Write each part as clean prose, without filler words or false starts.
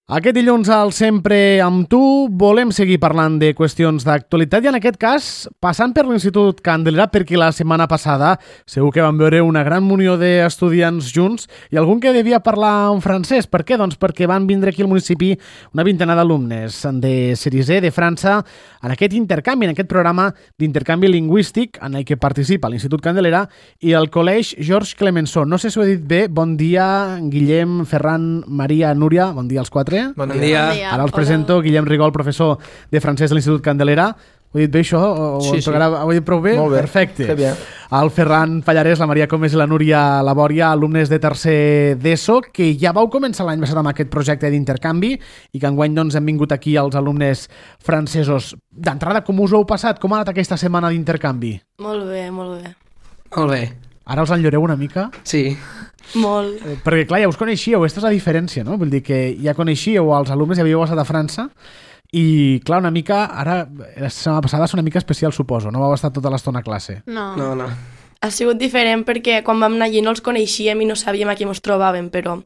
Aquest dilluns al Sempre amb tu volem seguir parlant de qüestions d'actualitat i en aquest cas passant per l'Institut Candelera perquè la setmana passada segur que vam veure una gran munió d'estudiants junts i algun que devia parlar en francès. Per què? Doncs perquè van vindre aquí al municipi una vintena d'alumnes de Cerisé, de França, en aquest intercanvi, en aquest programa d'intercanvi lingüístic en el que participa l'Institut Candelera i el Col·legi Georges Clemenceau. No sé si ho he dit bé. Bon dia, Guillem, Ferran, Maria, Núria. Bon dia als quatre. Bon dia. Ara els presento Guillem Rigol, professor de francès de l'Institut Candelera. Ho he dit bé això? Sí. Ho he dit prou bé? Molt bé. Perfecte. Que bé. El Ferran Pallarès, la Maria Comes i la Núria Labòria, alumnes de tercer d'ESO, que ja vau començar l'any passat amb aquest projecte d'intercanvi i que enguany doncs, hem vingut aquí els alumnes francesos. D'entrada, com us ho heu passat? Com ha anat aquesta setmana d'intercanvi? Molt bé, molt bé. Molt bé. Ara us enlloreu una mica? Sí. Molt. Perquè, clar, ja us coneixíeu, aquesta és la diferència, no? Vull dir que ja coneixíeu els alumnes, ja havíeu estat a França i, clar, una mica, ara, la setmana passada va ser una mica especial, suposo, no vau estar tota l'estona a classe. No. No. Ha sigut diferent perquè quan vam anar allí no els coneixíem i no sabíem a qui ens trobàvem, però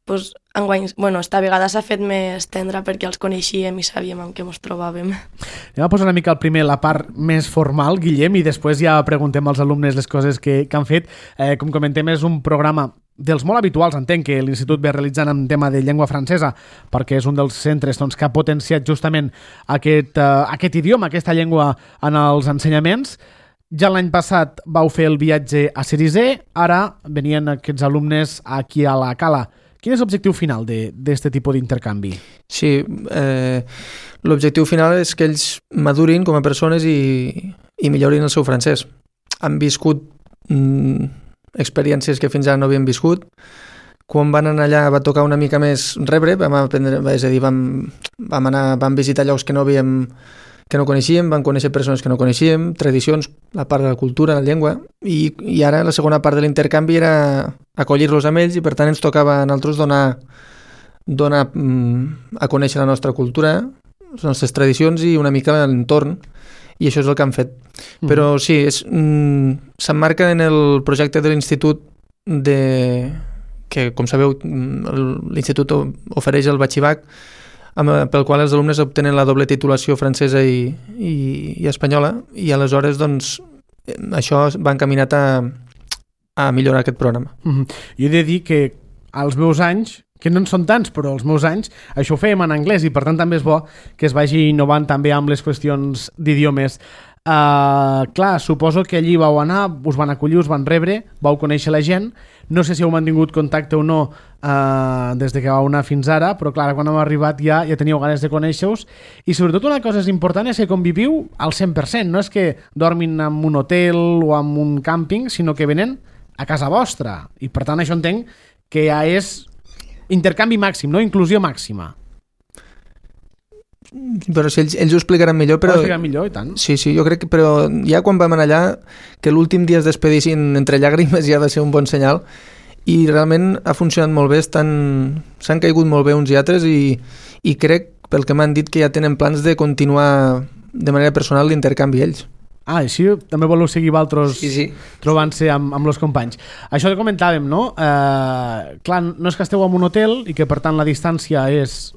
pues, enguany, esta vegada s'ha fet més tendre perquè els coneixíem i sabíem amb què ens trobàvem. Anem a posar una mica primer la part més formal, Guillem, i després ja preguntem als alumnes les coses que han fet. Com comentem, és un programa dels molt habituals, entenc, que l'Institut ve realitzant en tema de llengua francesa, perquè és un dels centres doncs, que ha potenciat justament aquest idioma, aquesta llengua en els ensenyaments. Ja l'any passat vau fer el viatge a Cerisé, ara venien aquests alumnes aquí a la Cala. Quin és l'objectiu final d'aquest tipus d'intercanvi? Sí, l'objectiu final és que ells madurin com a persones i millorin el seu francès. Han viscut experiències que fins ara no havien viscut. Quan van anar allà va tocar una mica més rebre, vam aprendre, és a dir, vam visitar llocs que no coneixíem, vam conèixer persones que no coneixíem, tradicions, la part de la cultura, la llengua, i ara la segona part de l'intercanvi era acollir-los amb ells i per tant ens tocava a nosaltres donar a conèixer la nostra cultura, les nostres tradicions i una mica l'entorn, i això és el que han fet. Però sí, s'emmarca en el projecte de l'institut que, com sabeu, l'institut ofereix el batxibac, pel qual els alumnes obtenen la doble titulació francesa i espanyola, i aleshores doncs, això va encaminat a millorar aquest programa. Jo he de dir que als meus anys, que no en són tants, però als meus anys, això ho fèiem en anglès i per tant també és bo que es vagi innovant també amb les qüestions d'idiomes. Clar, suposo que allí vau anar, us van acollir, us van rebre, vau conèixer la gent, no sé si heu mantingut contacte o no des de que vau anar fins ara, però clar, quan heu arribat ja teníeu ganes de conèixer-vos i sobretot una cosa important és que conviviu al 100%, no és que dormin en un hotel o en un càmping, sinó que venen a casa vostra i per tant això entenc que ja és intercanvi màxim, no? Inclusió màxima. Però si ells ho explicaran millor, però... Ho explicaran millor, i tant. Sí, jo crec que... Però ja quan vam anar allà, que l'últim dia es despedissin entre llàgrimes ja ha de ser un bon senyal, i realment ha funcionat molt bé, s'han caigut molt bé uns i altres, i crec, pel que m'han dit, que ja tenen plans de continuar de manera personal l'intercanvi ells. Així també voleu seguir vosaltres sí. Trobant-se amb els companys. Això que comentàvem, no? Clar, no és que esteu en un hotel i que per tant la distància és...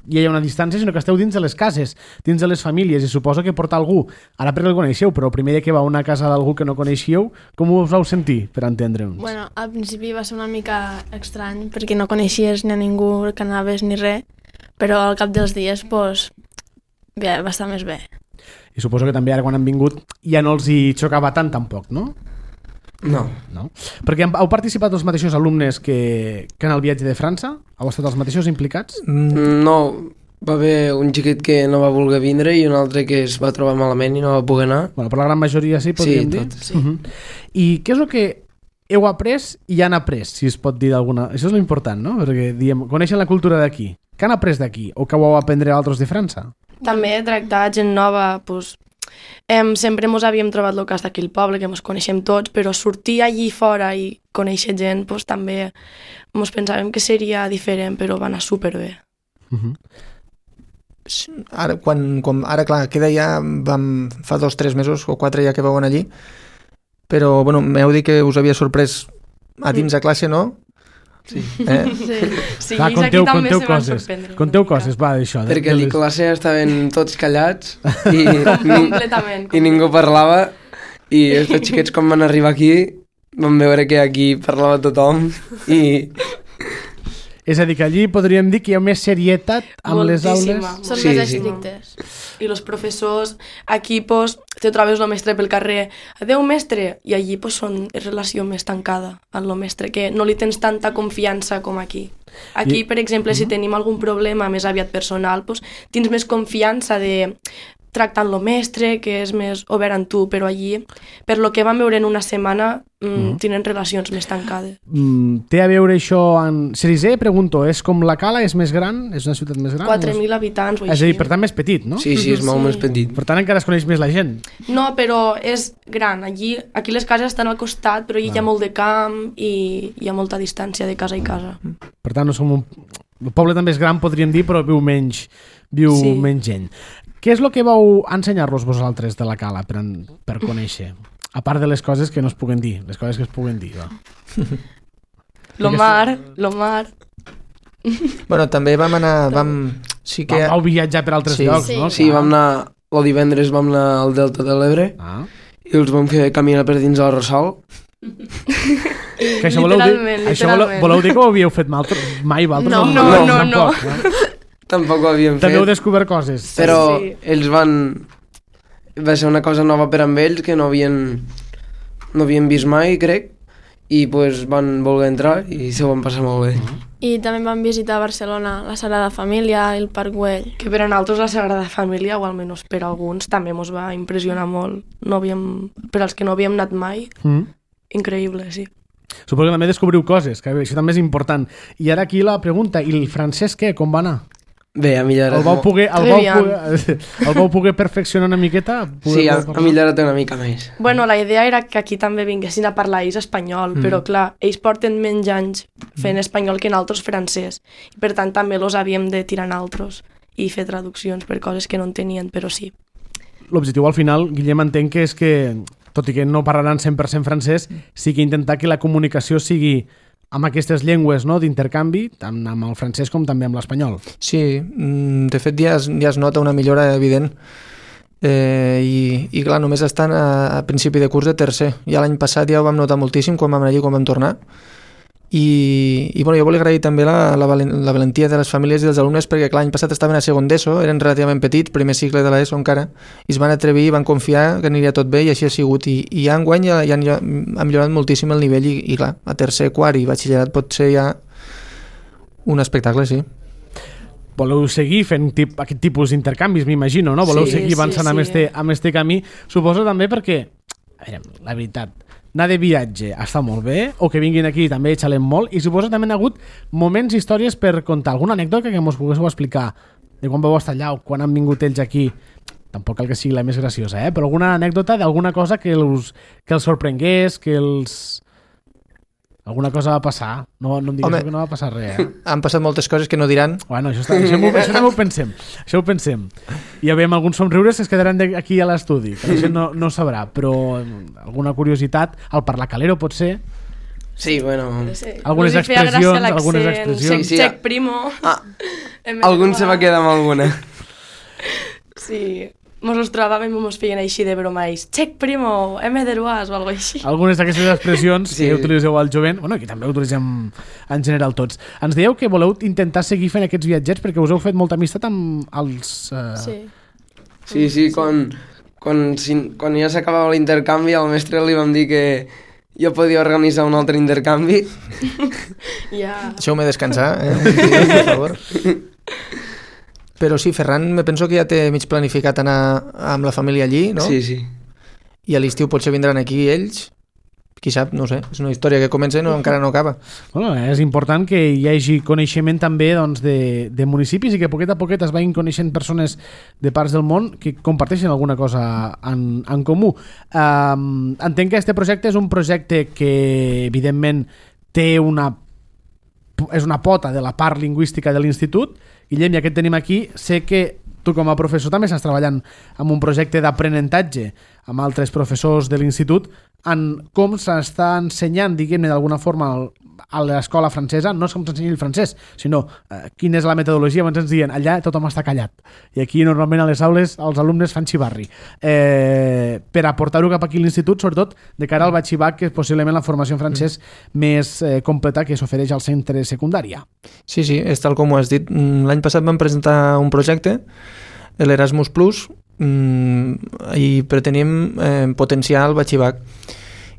hi ha una distància, sinó que esteu dins de les cases, dins de les famílies, i suposo que portar algú, ara perquè el coneixeu, però el primer dia que va a una casa d'algú que no coneixíeu, com us vau sentir, per entendre'ns? Bueno, al principi va ser una mica estrany, perquè no coneixies ni a ningú que anaves ni res, però al cap dels dies, doncs, bé, va estar més bé. I suposo que també ara quan han vingut ja no els hi xocava tant tampoc, no? No. Perquè heu participat els mateixos alumnes que en el viatge de França? Heu estat els mateixos implicats? No, va haver un xiquet que no va voler vindre i un altre que es va trobar malament i no va poder anar. Bueno, per la gran majoria sí, podríem dir? Sí, tot. I què és el que heu après i han après, si es pot dir d'alguna... Això és l'important, no? Perquè diem, coneixen la cultura d'aquí. Què han après d'aquí? O que ho heu aprendre altres de França? També tractar gent nova, doncs... sempre ens havíem trobat el cas d'aquí al poble, que ens coneixem tots, però sortir allí fora i conèixer gent, doncs també ens pensàvem que seria diferent, però va anar superbé. Ara, clar, queda ja, fa 2 o 3 mesos o 4 ja que vau anar allí, però bueno, m'heu dit que us havia sorprès a dins a classe, no? Sí. Sí, Va, ells aquí conteu també se van coses. sorprendre. Conteu una mica. coses, va, d'això. Perquè a la classe estaven tots callats i, Completament. i ningú parlava i els xiquets quan van arribar aquí van veure que aquí parlava tothom i És a dir, que allí podríem dir que hi ha més serietat amb les aules. Moltíssima, Són Sí, més sí. estrictes. I els professors, aquí pues, te trobes el mestre pel carrer, adeu mestre, i allí pues, són relació més tancada amb el mestre, que no li tens tanta confiança com aquí. Aquí, per exemple, si tenim algun problema més aviat personal, pues, tens més confiança de tractar amb el mestre, que és més obert amb tu, però allí, per lo que vam veure en una setmana, tenen relacions més tancades. Té a veure això amb... Cerisé, pregunto, és com la Cala? És més gran? És una ciutat més gran? 4.000 habitants o És a així. dir, per tant, més petit, no? sí, és molt més petit. Per tant, encara es coneix més la gent. No, però és gran. Aquí les cases estan al costat, però allí hi ha molt de camp i hi ha molta distància de casa i casa. Per tant, no som un... El poble també és gran, podríem dir, però viu menys Sí. gent. Què és el que vau ensenyar-los vosaltres de la Cala per conèixer? A part de les coses que no es puguen dir, les coses que es puguen dir. Va. Lo mar... Bueno, també vam anar... Sí que... Vau viatjar per altres Sí. llocs, Sí. no? Sí, vam anar, el divendres vam anar al Delta de l'Ebre Ah. i els vam fer caminar per dins del Ressol. Que això voleu dir, Literalment. voleu dir que ho havíeu fet mai vosaltres? No. Tampoc ho havíem També heu fet, descobert coses. però Sí. ells van... Va ser una cosa nova per amb ells que no havien vist mai, crec, i pues, van voler entrar i se ho van passar molt bé. I també vam visitar a Barcelona la Sagrada Família i el Parc Güell. Que per a nosaltres la Sagrada Família, o almenys per alguns, també ens va impressionar molt. Per als que no havíem anat mai, increïble, sí. Suposo que també descobriu coses, que això també és important. I ara aquí la pregunta, i el francès què? Com va anar? Bé, ha millorat El vau molt. poder poder perfeccionar una miqueta? Sí, ha millorat una mica més. Bueno, la idea era que aquí també vinguessin a parlar ells espanyol, però clar, ells porten menys anys fent espanyol que nosaltres francès. I per tant també los havíem de tirar nosaltres i fer traduccions per coses que no entenien, però sí. L'objectiu al final, Guillem, entenc que és que, tot i que no parlaran 100% francès, sí que intentar que la comunicació sigui amb aquestes llengües, no?, d'intercanvi, tant amb el francès com també amb l'espanyol. Sí, de fet ja es nota una millora evident i clar, només estan a principi de curs de tercer. Ja l'any passat ja ho vam notar moltíssim quan vam anar allí, quan vam tornar. I bueno, jo volia agrair també la valentia de les famílies i dels alumnes, perquè clar, l'any passat estaven a segon d'ESO, eren relativament petits, primer cicle de l'ESO encara, i es van atrevir i van confiar que aniria tot bé, i així ha sigut. I ja enguany ja ha millorat moltíssim el nivell i clar, a tercer, quart i batxillerat pot ser ja un espectacle, sí. Voleu seguir fent aquest tipus d'intercanvis, m'imagino, no? Voleu Sí, seguir sí, avançant sí. amb este camí. Suposo també perquè, a veure, la veritat, anar de viatge està molt bé, o que vinguin aquí també xalem molt, i suposo també hi ha hagut moments, històries per contar. Alguna anècdota que ens poguéssiu explicar de quan vau estar allà o quan han vingut ells aquí? Tampoc cal que sigui la més graciosa, però alguna anècdota d'alguna cosa que els sorprengués, que els... Alguna cosa va passar. No em digues que no va passar res, Han passat moltes coses que no diran. Bueno, això també ho pensem. Això ho pensem. I ja veiem alguns somriures que es quedaran aquí a l'estudi, que la gent no sabrà, però alguna curiositat, al parlar calero pot ser, Sí, bueno... algunes Us hi feia gràcia expressions, l'accent, algunes expressions. Sí, Check primo. Algun se va quedar amb alguna. Sí, mos els trobàvem i mos feien així de bromais. Check primo, M2 o alguna així. Algunes d'aquestes expressions Sí. que utilitzeu al jovent, bueno, que també utilitzem en general tots. Ens dieu que voleu intentar seguir fent aquests viatgers perquè us heu fet molta amistat amb els... Sí. Sí, quan ja s'acabava l'intercanvi al mestre li vam dir que jo podia organitzar un altre intercanvi. Ja. Deixeu-me descansar, per favor. Però sí, Ferran, me penso que ja té mig planificat anar amb la família allí, no? Sí. I a l'estiu potser vindran aquí ells. Qui sap, no sé, és una història que comença i encara no acaba. Bueno, és important que hi hagi coneixement també doncs, de municipis i que poquet a poquet es vagin coneixent persones de parts del món que comparteixen alguna cosa en comú. Entenc que aquest projecte és un projecte que evidentment és una pota de la part lingüística de l'institut. Guillem, ja que et tenim aquí, sé que tu com a professor també estàs treballant amb un projecte d'aprenentatge amb altres professors de l'institut. en com s'està ensenyant, diguem-ne, d'alguna forma a l'escola francesa, no és com s'ensenya el francès, sinó quina és la metodologia. Abans ens diuen, allà tothom està callat. I aquí normalment a les aules els alumnes fan xivarri. Per aportar-ho cap aquí a l'institut, sobretot de cara al batxibac, que és possiblement la formació en francès més completa que s'ofereix al centre secundària. Sí, és tal com ho has dit. L'any passat vam presentar un projecte, l'Erasmus Plus, i pretenim potenciar el batxibac.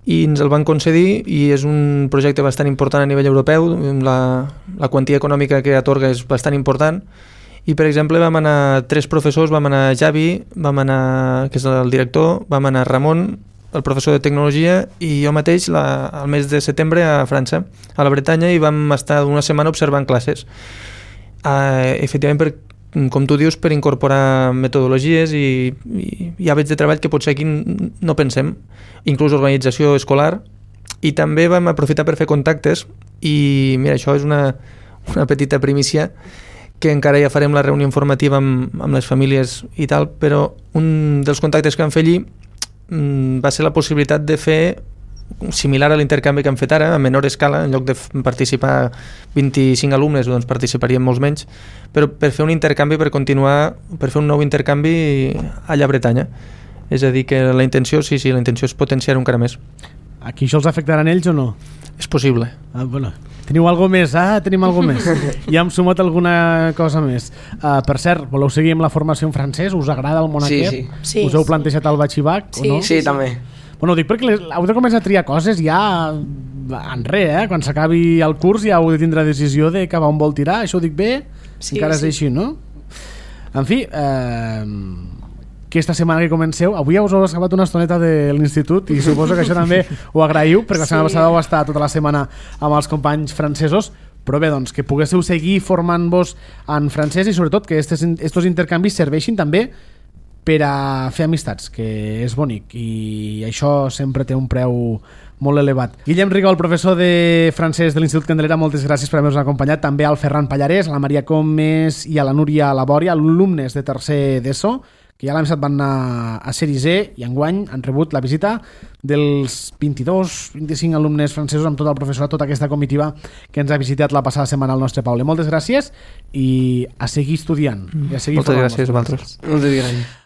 I ens el van concedir i és un projecte bastant important a nivell europeu. La quantia econòmica que atorga és bastant important i, per exemple, vam anar 3 professors, vam anar Javi, que és el director, vam anar Ramon, el professor de tecnologia, i jo mateix al mes de setembre a França, a la Bretanya, i vam estar una setmana observant classes. Efectivament, com tu dius, per incorporar metodologies i hàbits de treball que potser aquí no pensem, inclús organització escolar, i també vam aprofitar per fer contactes. I mira, això és una petita primícia, que encara ja farem la reunió informativa amb les famílies i tal, però un dels contactes que vam fer allí va ser la possibilitat de fer similar a l'intercanvi que hem fet ara, a menor escala. En lloc de participar 25 alumnes, doncs participarien molts menys, però per fer un intercanvi, per fer un nou intercanvi allà a Bretanya. És a dir, que la intenció, la intenció és potenciar-ho encara més. Aquí això els afectaran ells o no? És possible. Bueno. Teniu alguna més? Tenim alguna més. Ja hem sumat alguna cosa més. Per cert, voleu seguir amb la formació en francès? Us agrada el món aquest? Sí. Us heu plantejat el batxibac o no? Sí, també. Bueno, ho dic perquè heu de començar a triar coses ja en res, quan s'acabi el curs ja heu de tindre decisió de cap on vol tirar. Això ho dic bé? Sí, encara és així, no? En fi, aquesta setmana que comenceu, avui ja us heu acabat una estoneta de l'institut i suposo que això també ho agraïu, perquè la setmana passada vau estar tota la setmana amb els companys francesos, però bé, doncs, que poguéssiu seguir formant-vos en francès i sobretot que estos intercanvis serveixin també per a fer amistats, que és bonic i això sempre té un preu molt elevat. Guillem Rigol, professor de francès de l'Institut Candelera, moltes gràcies per haver-nos acompanyat, també al Ferran Pallarès, a la Maria Comes i a la Núria Labòria, alumnes de tercer d'ESO, que ja l'any passat van anar a Sèrie C i enguany han rebut la visita dels 22-25 alumnes francesos amb tot el professorat, tota aquesta comitiva que ens ha visitat la passada setmana al nostre poble. Moltes gràcies i a seguir estudiant. I a seguir Moltes gràcies a vosaltres. Moltes gràcies.